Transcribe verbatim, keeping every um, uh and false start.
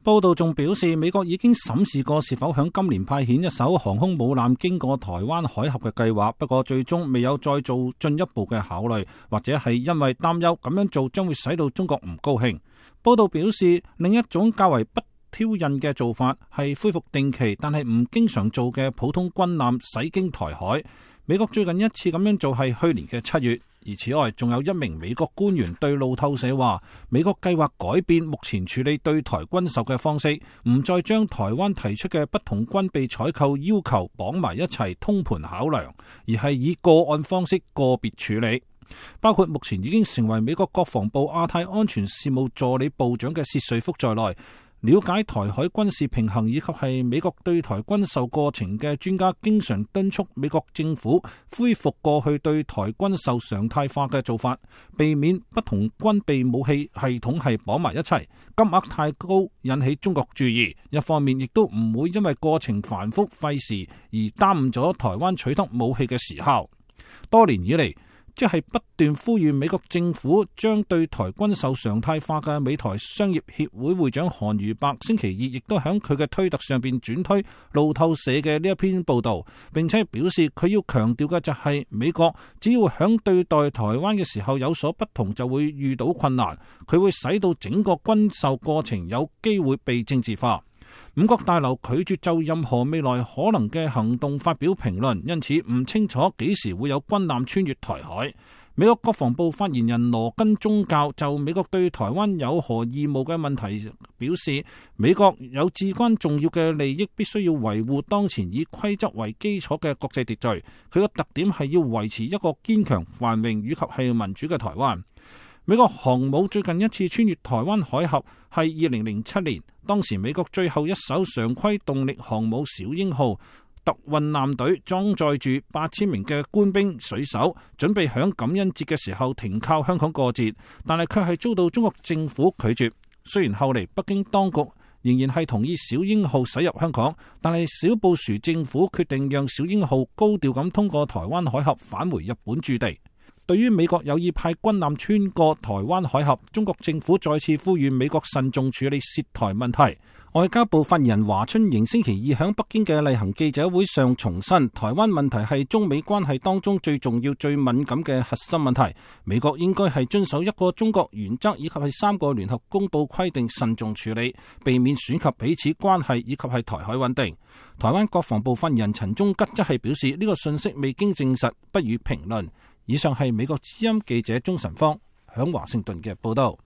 報道仲表示，美國已經審視過是否響今年派遣一艘航空母艦經過台灣海峽嘅計劃，不過最終未有再做進一步嘅考慮，或者係因為擔憂咁樣做將會使到中國唔高興。報道表示，另一種較為不挑釁嘅做法係恢復定期但係唔經常做嘅普通軍艦駛經台海。美國最近一次咁樣做係去年嘅七月。而此外，仲有一名美國官員對路透社話，美國計劃改變目前處理對台軍售嘅方式，唔再將台灣提出嘅不同軍備採購要求綁埋一齊通盤考量，而係以個案方式個別處理。包括目前已經成為美國國防部亞太安全事務助理部長嘅薛瑞福在內，了解台海軍事平衡以及係美國對台軍售過程嘅專家，經常敦促美國政府恢復過去對台軍售常態化嘅做法，避免不同軍備武器系統係綁埋一齊，金額太高引起中國注意。一方面亦都唔會因為過程繁複費時而耽誤咗台灣取得武器嘅時效。多年以嚟，即係不斷呼籲美國政府將對台軍售常態化嘅美台商業協會會長韓如伯星期二亦都喺佢嘅推特上邊轉推路透社嘅呢一篇報道，並且表示佢要強調嘅就係美國只要響對待台灣嘅時候有所不同，就會遇到困難，佢會使到整個軍售過程有機會被政治化。五角大樓拒絕就任何未來可能嘅行動發表評論，因此唔清楚幾時會有軍艦穿越台海。美國國防部發言人羅根宗教就美國對台灣有何義務嘅問題表示，美國有至關重要嘅利益必須要維護當前以規則為基礎嘅國際秩序，佢個特點係要維持一個堅強繁榮以及係民主嘅台灣。美國航母最近一次穿越台灣海峽係二零零七年，當時美國最後一艘常規動力航母小鷹號特運艦隊裝載住八千名嘅官兵水手，準備響感恩節嘅時候停靠香港過節，但係卻係遭到中國政府拒絕。雖然後嚟北京當局仍然係同意小鷹號駛入香港，但係小布殊政府決定讓小鷹號高調咁通過台灣海峽返回日本駐地。對於美國有意派軍艦穿過台灣海峽，中國政府再次呼籲美國慎重處理涉台問題。外交部發言人華春瑩星期二喺北京嘅例行記者會上重申，台灣問題係中美關係當中最重要、最敏感嘅核心問題。美國應該係遵守一個中國原則以及係三個聯合公報規定，慎重處理，避免損及彼此關係以及係台海穩定。台灣國防部發言人陳忠吉則係表示，呢個信息未經證實，不予評論。以上係美國之音記者鍾晨芳響華盛頓嘅報道。